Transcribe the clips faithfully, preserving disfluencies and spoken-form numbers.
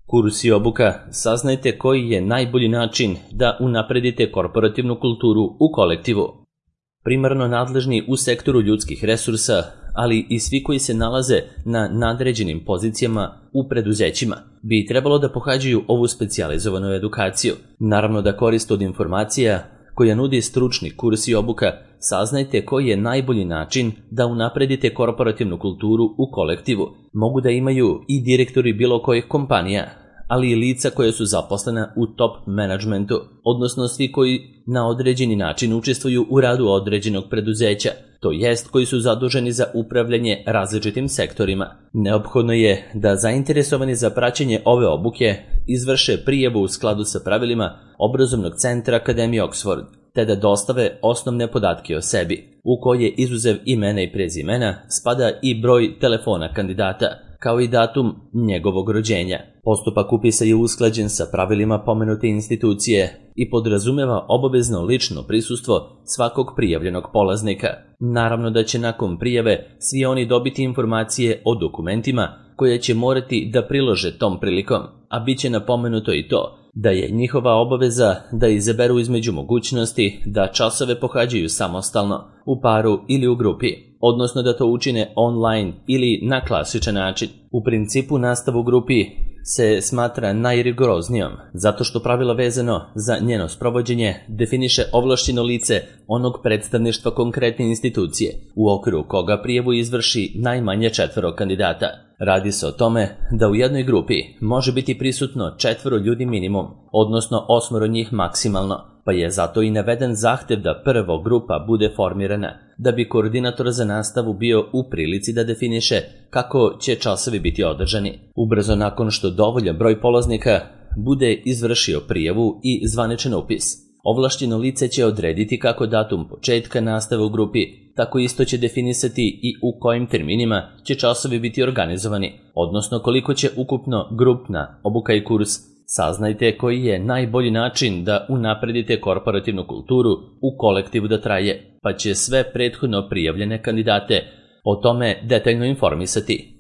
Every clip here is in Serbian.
Kurs i obuka, saznajte koji je najbolji način da unapredite korporativnu kulturu u kolektivu. Primarno nadležni u sektoru ljudskih resursa, ali i svi koji se nalaze na nadređenim pozicijama u preduzećima, bi trebalo da pohađaju ovu specijalizovanu edukaciju. Naravno da korist od informacija koja nudi stručni kurs i obuka, saznajte koji je najbolji način da unapredite korporativnu kulturu u kolektivu. Mogu da imaju i direktori bilo kojih kompanija, ali i lica koje su zaposlena u top managementu, odnosno svi koji na određeni način učestvuju u radu određenog preduzeća, to jest koji su zaduženi za upravljanje različitim sektorima. Neophodno je da zainteresovani za praćenje ove obuke izvrše prijavu u skladu sa pravilima Obrazovnog centra Akademije Oxford, te da dostave osnovne podatke o sebi, u koje izuzev imena i prezimena spada i broj telefona kandidata, kao i datum njegovog rođenja. Postupak upisa je usklađen sa pravilima pomenute institucije i podrazumeva obavezno lično prisustvo svakog prijavljenog polaznika. Naravno da će nakon prijave svi oni dobiti informacije o dokumentima koje će morati da prilože tom prilikom, a bit će napomenuto i to da je njihova obaveza da izaberu između mogućnosti da časove pohađaju samostalno, u paru ili u grupi, odnosno da to učine online ili na klasičan način. U principu nastavu u grupi se smatra najrigoroznijom, zato što pravila vezano za njeno sprovođenje definiše ovlašćeno lice onog predstavništva konkretne institucije, u okviru koga prijavu izvrši najmanje četvoro kandidata. Radi se o tome da u jednoj grupi može biti prisutno četvoro ljudi minimum, odnosno osmoro njih maksimalno, pa je zato i naveden zahtev da prvo grupa bude formirana, da bi koordinator za nastavu bio u prilici da definiše kako će časovi biti održani. Ubrzo nakon što dovoljan broj polaznika bude izvršio prijavu i zvaničan upis, ovlašćeno lice će odrediti kako datum početka nastave u grupi, tako isto će definisati i u kojim terminima će časovi biti organizovani, odnosno koliko će ukupno grupna obuka i kurs. Saznajte koji je najbolji način da unapredite korporativnu kulturu u kolektivu da traje, pa će sve prethodno prijavljene kandidate o tome detaljno informisati.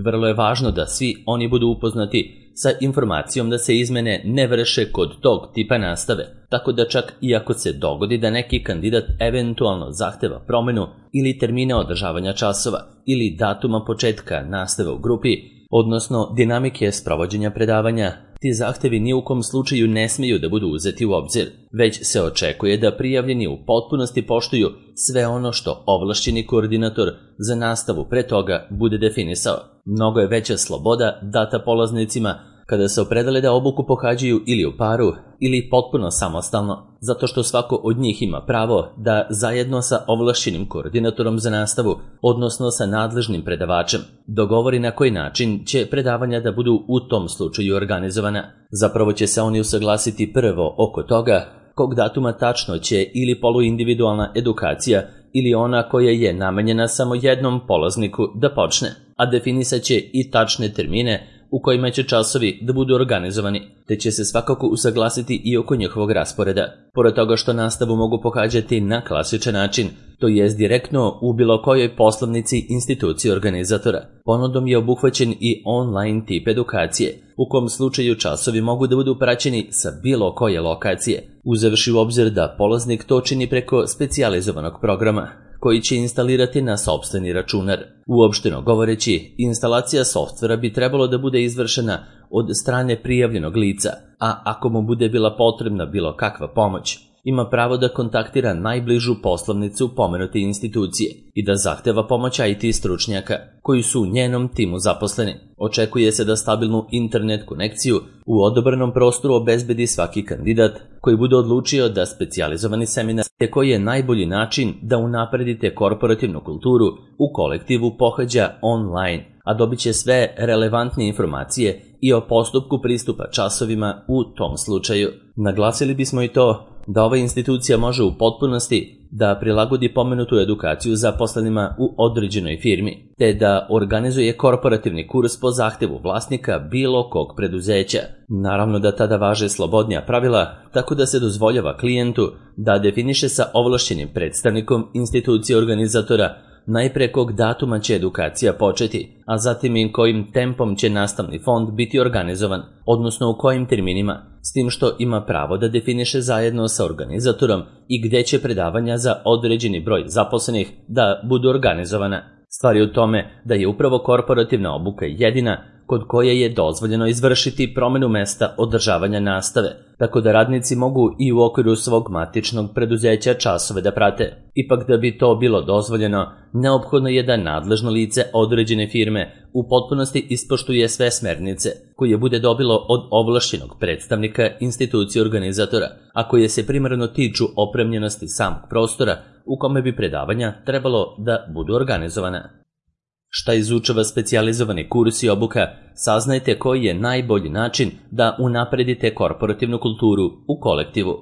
Vrlo je važno da svi oni budu upoznati sa informacijom da se izmene ne vrše kod tog tipa nastave, tako da čak i ako se dogodi da neki kandidat eventualno zahteva promenu ili termine održavanja časova ili datuma početka nastave u grupi, odnosno dinamike sprovođenja predavanja, ti zahtevi ni u kom slučaju ne smeju da budu uzeti u obzir, već se očekuje da prijavljeni u potpunosti poštuju sve ono što ovlašćeni koordinator za nastavu pre toga bude definisao. Mnogo je veća sloboda data polaznicima kada se opredele da obuku pohađaju ili u paru ili potpuno samostalno, zato što svako od njih ima pravo da zajedno sa ovlašćenim koordinatorom za nastavu, odnosno sa nadležnim predavačem, dogovori na koji način će predavanja da budu u tom slučaju organizovana. Zapravo će se oni usaglasiti prvo oko toga kog datuma tačno će ili poluindividualna edukacija ili ona koja je namenjena samo jednom polazniku da počne, a definisat će i tačne termine u kojima će časovi da budu organizovani, te će se svakako usaglasiti i oko njihovog rasporeda. Pored toga što nastavu mogu pohađati na klasičan način, to jest direktno u bilo kojoj poslovnici institucije organizatora, ponudom je obuhvaćen i online tip edukacije, u kom slučaju časovi mogu da budu praćeni sa bilo koje lokacije, uzevši u obzir da polaznik to čini preko specijalizovanog programa, koji će instalirati na sopstveni računar. Uopšteno govoreći, instalacija softvera bi trebalo da bude izvršena od strane prijavljenog lica, a ako mu bude bila potrebna bilo kakva pomoć, ima pravo da kontaktira najbližu poslovnicu pomenute institucije i da zahteva pomoć I T stručnjaka koji su u njenom timu zaposleni. Očekuje se da stabilnu internet konekciju u odobranom prostoru obezbedi svaki kandidat koji bude odlučio da specijalizovani seminar te koji je najbolji način da unapredite korporativnu kulturu u kolektivu pohađa online, a dobit će sve relevantne informacije i o postupku pristupa časovima u tom slučaju. Naglasili bismo i to da ova institucija može u potpunosti da prilagodi pomenutu edukaciju zaposlenima u određenoj firmi, te da organizuje korporativni kurs po zahtevu vlasnika bilo kog preduzeća. Naravno da tada važe slobodnija pravila, tako da se dozvoljava klijentu da definiše sa ovlašćenim predstavnikom institucije organizatora najpre kog datuma će edukacija početi, a zatim i kojim tempom će nastavni fond biti organizovan, odnosno u kojim terminima, s tim što ima pravo da definiše zajedno sa organizatorom i gde će predavanja za određeni broj zaposlenih da budu organizovana. Stvar je u tome da je upravo korporativna obuka jedina kod koje je dozvoljeno izvršiti promenu mesta održavanja nastave, tako da radnici mogu i u okviru svog matičnog preduzeća časove da prate. Ipak da bi to bilo dozvoljeno, neophodno je da nadležno lice određene firme u potpunosti ispoštuje sve smernice koje bude dobilo od ovlašćenog predstavnika institucije organizatora, a koje se primarno tiču opremljenosti samog prostora u kome bi predavanja trebalo da budu organizovana. Šta izučava specijalizovani kurs i obuka, saznajte koji je najbolji način da unapredite korporativnu kulturu u kolektivu.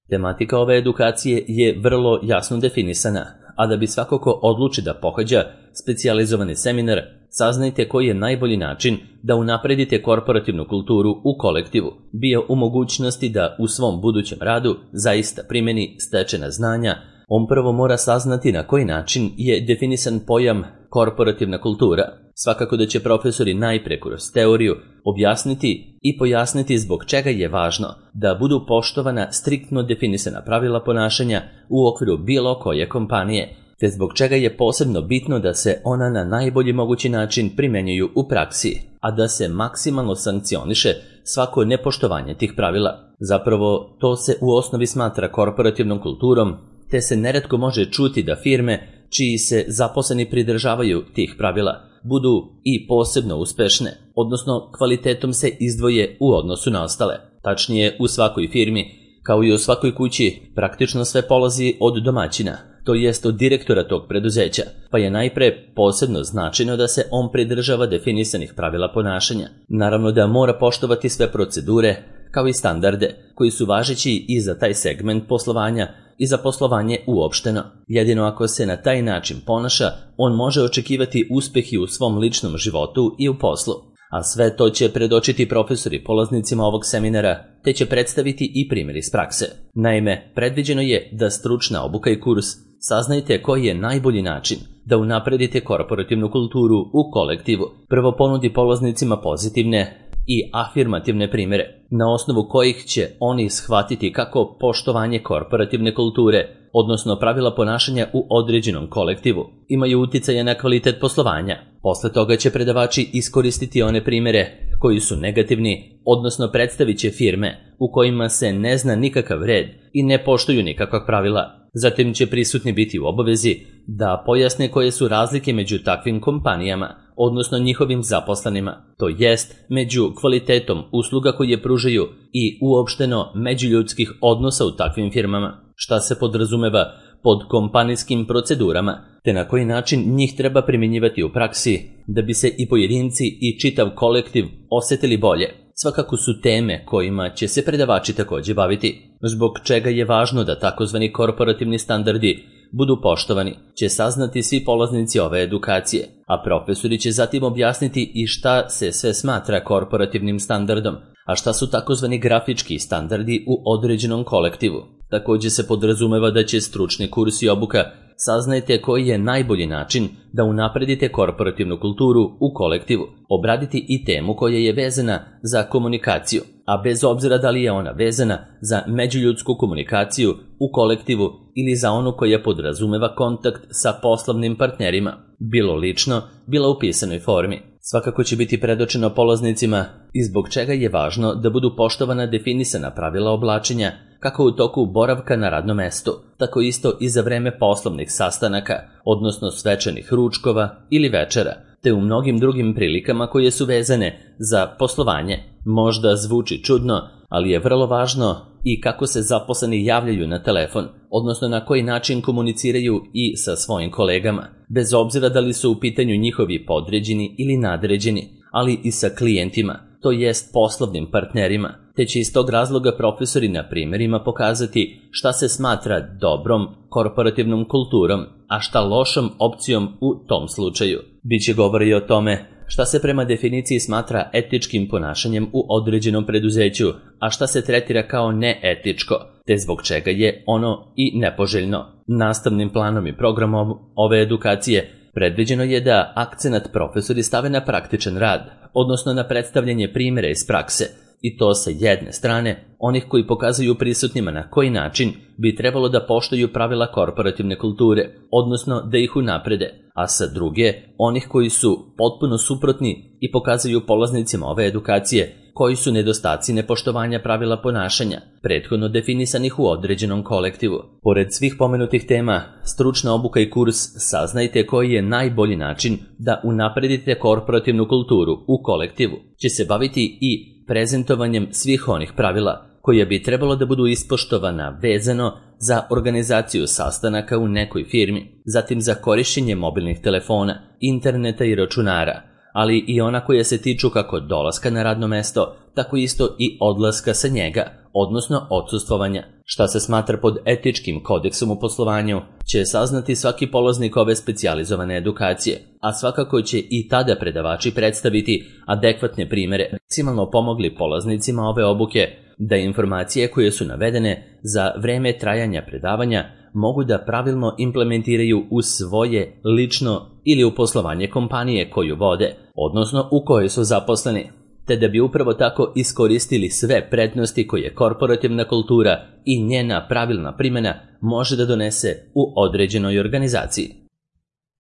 Tematika ove edukacije je vrlo jasno definisana, a da bi svako ko odluči da pohađa specijalizovani seminar, saznajte koji je najbolji način da unapredite korporativnu kulturu u kolektivu, bio u mogućnosti da u svom budućem radu zaista primeni stečena znanja. On prvo mora saznati na koji način je definisan pojam korporativna kultura. Svakako da će profesori najpre kroz teoriju objasniti i pojasniti zbog čega je važno da budu poštovana striktno definisana pravila ponašanja u okviru bilo koje kompanije, te zbog čega je posebno bitno da se ona na najbolji mogući način primenjuju u praksi, a da se maksimalno sankcioniše svako nepoštovanje tih pravila. Zapravo, to se u osnovi smatra korporativnom kulturom, te se neretko može čuti da firme čiji se zaposleni pridržavaju tih pravila budu i posebno uspešne, odnosno kvalitetom se izdvoje u odnosu na ostale. Tačnije, u svakoj firmi, kao i u svakoj kući, praktično sve polazi od domaćina, to jest od direktora tog preduzeća, pa je najpre posebno značajno da se on pridržava definisanih pravila ponašanja. Naravno da mora poštovati sve procedure, kao i standarde, koji su važeći i za taj segment poslovanja i za poslovanje uopšteno. Jedino ako se na taj način ponaša, on može očekivati uspeh i u svom ličnom životu i u poslu. A sve to će predočiti profesori polaznicima ovog seminara, te će predstaviti i primjer iz prakse. Naime, predviđeno je da stručna obuka i kurs saznajte koji je najbolji način da unapredite korporativnu kulturu u kolektivu. Prvo ponudi polaznicima pozitivne i afirmativne primjere, na osnovu kojih će oni shvatiti kako poštovanje korporativne kulture, odnosno pravila ponašanja u određenom kolektivu, imaju uticaje na kvalitet poslovanja. Posle toga će predavači iskoristiti one primjere koji su negativni, odnosno predstavit će firme u kojima se ne zna nikakav red i ne poštuju nikakva pravila. Zatim će prisutni biti u obavezi da pojasne koje su razlike među takvim kompanijama, odnosno njihovim zaposlenima, to jest među kvalitetom usluga koje pružaju i uopšteno međuljudskih odnosa u takvim firmama, šta se podrazumeva pod kompanijskim procedurama, te na koji način njih treba primjenjivati u praksi da bi se i pojedinci i čitav kolektiv osjetili bolje. Svakako su teme kojima će se predavači također baviti. Zbog čega je važno da takozvani korporativni standardi budu poštovani, će saznati svi polaznici ove edukacije, a profesori će zatim objasniti i šta se sve smatra korporativnim standardom, a šta su takozvani grafički standardi u određenom kolektivu. Također se podrazumeva da će stručni kurs i obuka saznajte koji je najbolji način da unapredite korporativnu kulturu u kolektivu, obraditi i temu koja je vezana za komunikaciju, a bez obzira da li je ona vezana za međuljudsku komunikaciju u kolektivu ili za onu koja podrazumeva kontakt sa poslovnim partnerima, bilo lično, bilo u pisanoj formi. Svakako će biti predočeno polaznicima i zbog čega je važno da budu poštovana definisana pravila oblačenja, kako u toku boravka na radnom mestu, tako isto i za vreme poslovnih sastanaka, odnosno svečanih ručkova ili večera, te u mnogim drugim prilikama koje su vezane za poslovanje. Možda zvuči čudno, ali je vrlo važno i kako se zaposleni javljaju na telefon, odnosno na koji način komuniciraju i sa svojim kolegama, bez obzira da li su u pitanju njihovi podređeni ili nadređeni, ali i sa klijentima, to jest poslovnim partnerima, te će iz tog razloga profesori na primjerima pokazati šta se smatra dobrom korporativnom kulturom, a šta lošom opcijom u tom slučaju. Biće govora i o tome šta se prema definiciji smatra etičkim ponašanjem u određenom preduzeću, a šta se tretira kao neetičko, te zbog čega je ono i nepoželjno. Nastavnim planom i programom ove edukacije predviđeno je da akcenat profesori stave na praktičan rad, odnosno na predstavljanje primjera iz prakse, i to sa jedne strane onih koji pokazuju prisutnima na koji način bi trebalo da poštuju pravila korporativne kulture, odnosno da ih unaprede, a sa druge onih koji su potpuno suprotni i pokazuju polaznicima ove edukacije koji su nedostaci nepoštovanja pravila ponašanja, prethodno definisanih u određenom kolektivu. Pored svih pomenutih tema, stručna obuka i kurs Saznajte koji je najbolji način da unapredite korporativnu kulturu u kolektivu će se baviti i prezentovanjem svih onih pravila koja bi trebalo da budu ispoštovana vezano za organizaciju sastanaka u nekoj firmi, zatim za korišćenje mobilnih telefona, interneta i računara, ali i ona koja se tiču kako dolaska na radno mesto, tako isto i odlaska sa njega, odnosno odsustvovanja. Šta se smatra pod etičkim kodeksom u poslovanju će saznati svaki polaznik ove specijalizovane edukacije, a svakako će i tada predavači predstaviti adekvatne primere, maksimalno pomogli polaznicima ove obuke da informacije koje su navedene za vreme trajanja predavanja mogu da pravilno implementiraju u svoje lično ili u poslovanje kompanije koju vode, odnosno u kojoj su zaposleni, te da bi upravo tako iskoristili sve prednosti koje korporativna kultura i njena pravilna primjena može da donese u određenoj organizaciji.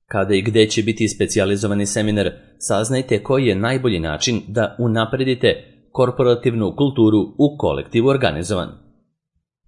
Kada i gde će biti specijalizovani seminar, saznajte koji je najbolji način da unapredite korporativnu kulturu u kolektivu organizovan.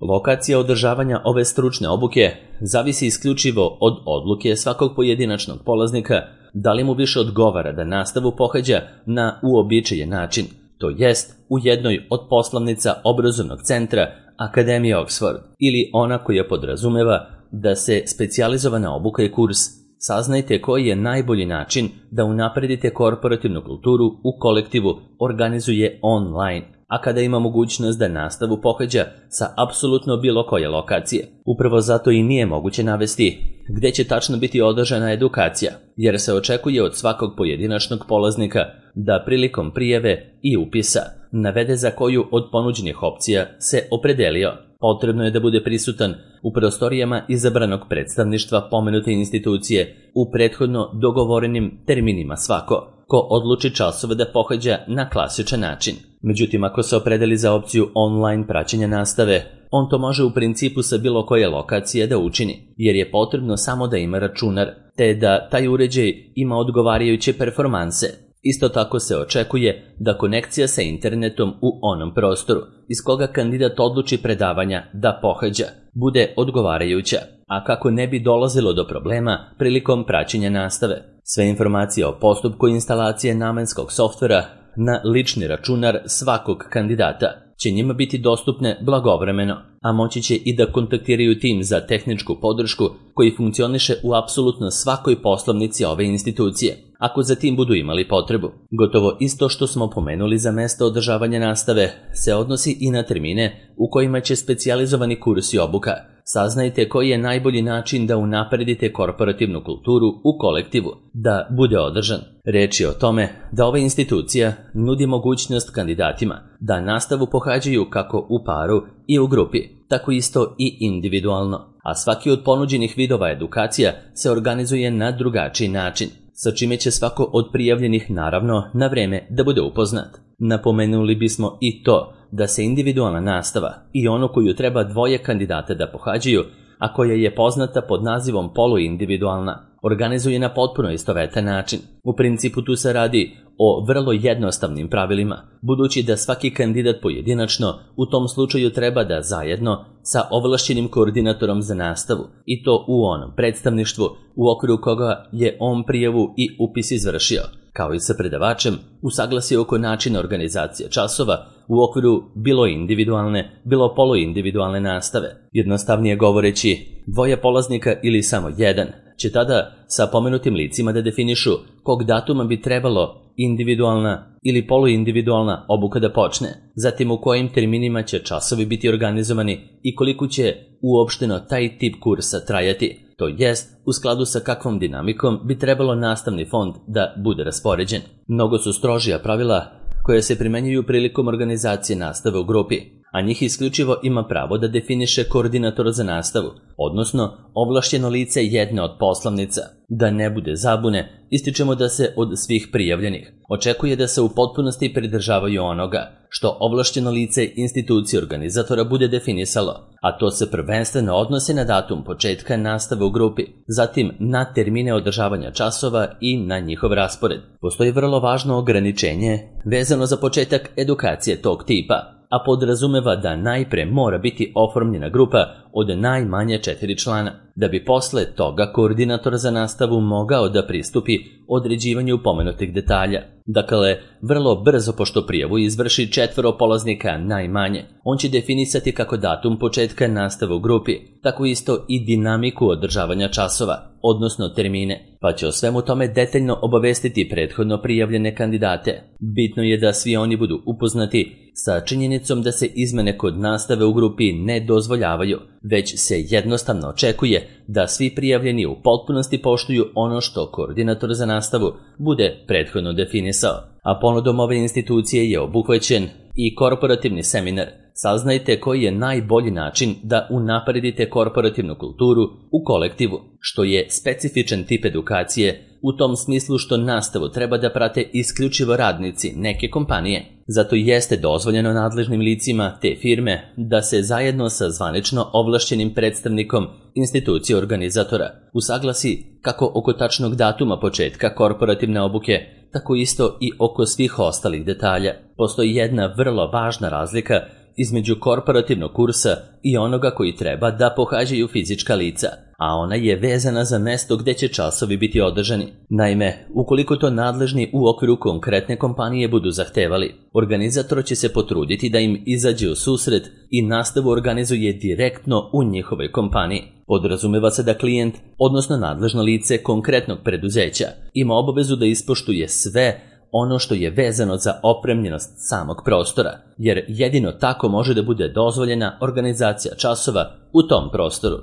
Lokacija održavanja ove stručne obuke zavisi isključivo od odluke svakog pojedinačnog polaznika da li mu više odgovara da nastavu pohađa na uobičajen način, to jest u jednoj od poslovnica obrazovnog centra Akademije Oxford, ili ona koja podrazumeva da se specijalizovana obuka i kurs Saznajte koji je najbolji način da unapredite korporativnu kulturu u kolektivu organizuje online, a kada ima mogućnost da nastavu pohađa sa apsolutno bilo koje lokacije. Upravo zato i nije moguće navesti gde će tačno biti održana edukacija, jer se očekuje od svakog pojedinačnog polaznika da prilikom prijave i upisa navede za koju od ponuđenih opcija se opredelio. Potrebno je da bude prisutan u prostorijama izabranog predstavništva pomenute institucije u prethodno dogovorenim terminima svako, ko odluči časove da pohađa na klasičan način. Međutim, ako se opredeli za opciju online praćenja nastave, on to može u principu sa bilo koje lokacije da učini, jer je potrebno samo da ima računar, te da taj uređaj ima odgovarajuće performanse. Isto tako se očekuje da konekcija sa internetom u onom prostoru iz koga kandidat odluči predavanja da pohađa bude odgovarajuća, a kako ne bi dolazilo do problema prilikom praćenja nastave. Sve informacije o postupku instalacije namenskog softvera na lični računar svakog kandidata će njima biti dostupne blagovremeno, a moći će i da kontaktiraju tim za tehničku podršku koji funkcioniše u apsolutno svakoj poslovnici ove institucije, ako za tim budu imali potrebu. Gotovo isto što smo pomenuli za mesto održavanja nastave se odnosi i na termine u kojima će specijalizovani kurs i obuka. Saznajte koji je najbolji način da unapredite korporativnu kulturu u kolektivu, da bude održan. Reč je o tome da ova institucija nudi mogućnost kandidatima da nastavu pohađaju kako u paru i u grupi, tako isto i individualno, a svaki od ponuđenih vidova edukacija se organizuje na drugačiji način, sa čime će svako od prijavljenih naravno na vreme da bude upoznat. Napomenuli bismo i to da se individualna nastava i ono koju treba dvoje kandidata da pohađaju, a koja je poznata pod nazivom poluindividualna, organizuje na potpuno istovetan način. U principu tu se radi o vrlo jednostavnim pravilima, budući da svaki kandidat pojedinačno u tom slučaju treba da zajedno sa ovlašćenim koordinatorom za nastavu, i to u onom predstavništvu u okviru koga je on prijavu i upis izvršio, kao i sa predavačem, usaglasi oko načina organizacije časova u okviru bilo individualne, bilo poluindividualne nastave. Jednostavnije govoreći, dvoje polaznika ili samo jedan će tada sa pomenutim licima da definišu kog datuma bi trebalo individualna ili poluindividualna obuka da počne, zatim u kojim terminima će časovi biti organizovani i koliko će uopšteno taj tip kursa trajati, to jest u skladu sa kakvom dinamikom bi trebalo nastavni fond da bude raspoređen. Mnogo su strožija pravila koje se primenjuju prilikom organizacije nastave u grupi, a njih isključivo ima pravo da definiše koordinator za nastavu, odnosno ovlašćeno lice jedne od poslovnica. Da ne bude zabune, ističemo da se od svih prijavljenih očekuje da se u potpunosti pridržavaju onoga što ovlašćeno lice institucije organizatora bude definisalo, a to se prvenstveno odnosi na datum početka nastave u grupi, zatim na termine održavanja časova i na njihov raspored. Postoji vrlo važno ograničenje vezano za početak edukacije tog tipa, a podrazumeva da najpre mora biti oformljena grupa od najmanje četiri člana, da bi posle toga koordinator za nastavu mogao da pristupi određivanju pomenutih detalja. Dakle, vrlo brzo pošto prijavu izvrši četvoro polaznika najmanje, on će definisati kako datum početka nastave u grupi, tako isto i dinamiku održavanja časova, odnosno termine, pa će o svemu tome detaljno obavestiti prethodno prijavljene kandidate. Bitno je da svi oni budu upoznati sa činjenicom da se izmene kod nastave u grupi ne dozvoljavaju, već se jednostavno očekuje da svi prijavljeni u potpunosti poštuju ono što koordinator za nastavu bude prethodno definisao. A ponudom ove institucije je obuhvaćen i korporativni seminar. Saznajte koji je najbolji način da unapredite korporativnu kulturu u kolektivu, što je specifičan tip edukacije u tom smislu što nastavu treba da prate isključivo radnici neke kompanije. Zato jeste dozvoljeno nadležnim licima te firme da se zajedno sa zvanično ovlašćenim predstavnikom institucije organizatora usaglasi kako oko tačnog datuma početka korporativne obuke, tako isto i oko svih ostalih detalja. Postoji jedna vrlo važna razlika između korporativnog kursa i onoga koji treba da pohađaju fizička lica, a ona je vezana za mesto gde će časovi biti održani. Naime, ukoliko to nadležni u okviru konkretne kompanije budu zahtevali, organizator će se potruditi da im izađe u susret i nastavu organizuje direktno u njihovoj kompaniji. Podrazumeva se da klijent, odnosno nadležno lice konkretnog preduzeća, ima obavezu da ispoštuje sve ono što je vezano za opremljenost samog prostora, jer jedino tako može da bude dozvoljena organizacija časova u tom prostoru.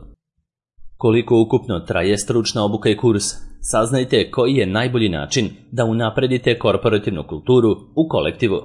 Koliko ukupno traje stručna obuka i kurs, saznajte koji je najbolji način da unapredite korporativnu kulturu u kolektivu.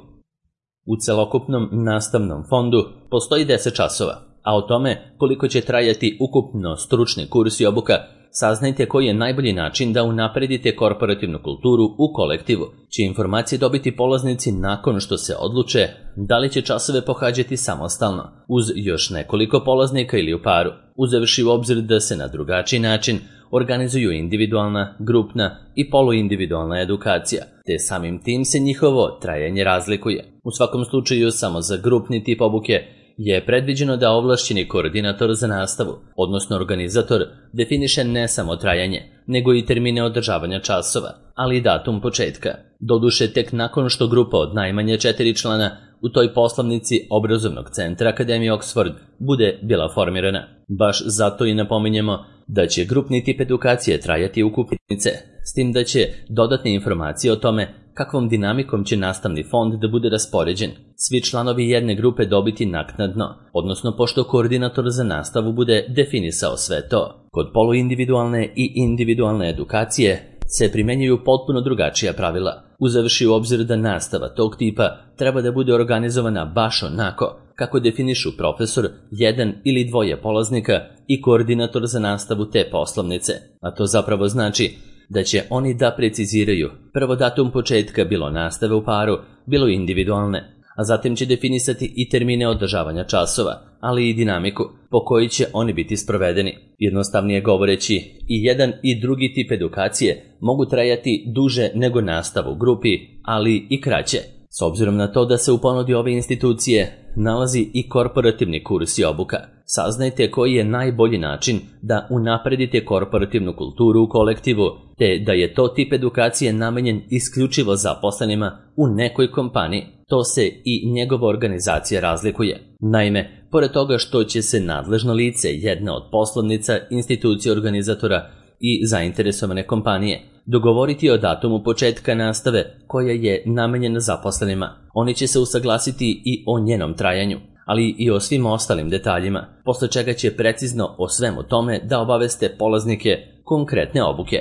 U celokupnom nastavnom fondu postoji deset časova, a o tome koliko će trajati ukupno stručni kurs i obuka, saznajte koji je najbolji način da unapredite korporativnu kulturu u kolektivu, će informacije dobiti polaznici nakon što se odluče da li će časove pohađati samostalno, uz još nekoliko polaznika ili u paru, uzevši u obzir da se na drugačiji način organizuju individualna, grupna i poluindividualna edukacija, te samim tim se njihovo trajanje razlikuje. U svakom slučaju, samo za grupni tip obuke je predviđeno da ovlašćeni koordinator za nastavu, odnosno organizator, definiše ne samo trajanje, nego i termine održavanja časova, ali i datum početka. Doduše tek nakon što grupa od najmanje četiri člana u toj poslovnici obrazovnog centra Akademije Oxford bude bila formirana. Baš zato i napominjemo da će grupni tip edukacije trajati ukupnice, s tim da će dodatne informacije o tome kakvom dinamikom će nastavni fond da bude raspoređen svi članovi jedne grupe dobiti naknadno, odnosno pošto koordinator za nastavu bude definisao sve to. Kod poluindividualne i individualne edukacije se primenjuju potpuno drugačija pravila, uzevši u obzir da nastava tog tipa treba da bude organizovana baš onako kako definišu profesor, jedan ili dvoje polaznika i koordinator za nastavu te poslovnice, a to zapravo znači da će oni da preciziraju prvo datum početka bilo nastave u paru, bilo individualne, a zatim će definisati i termine održavanja časova, ali i dinamiku po kojoj će oni biti sprovedeni. Jednostavnije govoreći, i jedan i drugi tip edukacije mogu trajati duže nego nastava u grupi, ali i kraće. S obzirom na to da se u ponudi ove institucije nalazi i korporativni kurs i obuka, saznajte koji je najbolji način da unapredite korporativnu kulturu u kolektivu, te da je to tip edukacije namenjen isključivo zaposlenima u nekoj kompaniji. To se i njegova organizacija razlikuje. Naime, pored toga što će se nadležno lice jedne od poslovnica institucije organizatora i zainteresovane kompanije dogovoriti o datumu početka nastave koja je namenjena zaposlenima, oni će se usaglasiti i o njenom trajanju, ali i o svim ostalim detaljima, posle čega će precizno o svemu tome da obaveste polaznike konkretne obuke.